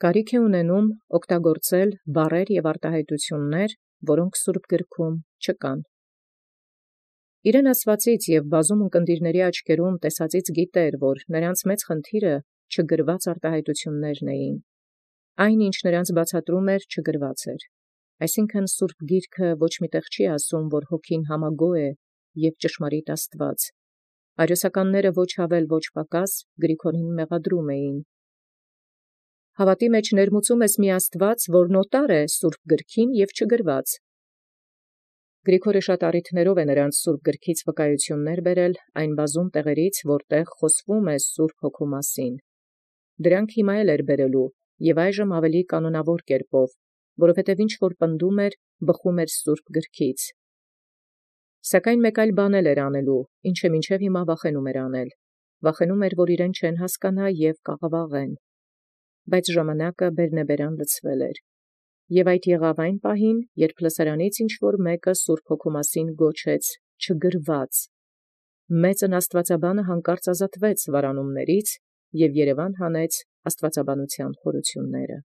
Կարիք է ունենում օգտագործել բառեր և արտահայտություններ, որոնք սուրբ գրքում չկան։ Իրեն աստուածից և բազում ունկնդիրների աչքերում տեսածից գիտէր, որ նրանց մեծ խնդիրը չգրված արտահայտություններն էին։ Այն, ինչ նրանց բացատրում էր, չգրված էր։ Այսինքն սուրբ գիրքը ոչ մի տեղ չի ասում, որ հոգին համագոյ է և ճշմարիտ Աստված։ Արիոսականները ոչ ավել ոչ պակաս Գրիգորին մեղադրում էին։ Հավատի մեջ ներմուծում ես մի Աստված, որ նոտար է սուրբ գրքին և չգրված։ Գրիգորը շատ առիթներով է նրանց սուրբ գրքից վկայություններ բերել այն բազում տեղերից, որտեղ խոսվում է սուրբ հոգու մասին։ Դրանք հիմա էլ էր բերելու և այժմ ավելի կանոնավոր կերպով, որովհետև ինչ որ պնդում էր, բխում էր սուրբ գրքից։ Սակայն մեկ այլ բան էլ էր անելու, ինչը մինչև հիմա վախենում էր անել։ Վախենում էր, որ իրեն չեն հասկանա և կաղավաղեն։ Բայց ժամանակը բերնեբերան լցվել էր։ Եւ այդ եղավ այն պահին, երբ լսարանից ինչ որ մեկը սուրբ հոգու մասին գոչեց չգրված։ Մեծն աստվածաբանը հանկարծ ազատվեց վարանումներից և Երևան հանեց աստվածաբանության խորությունները։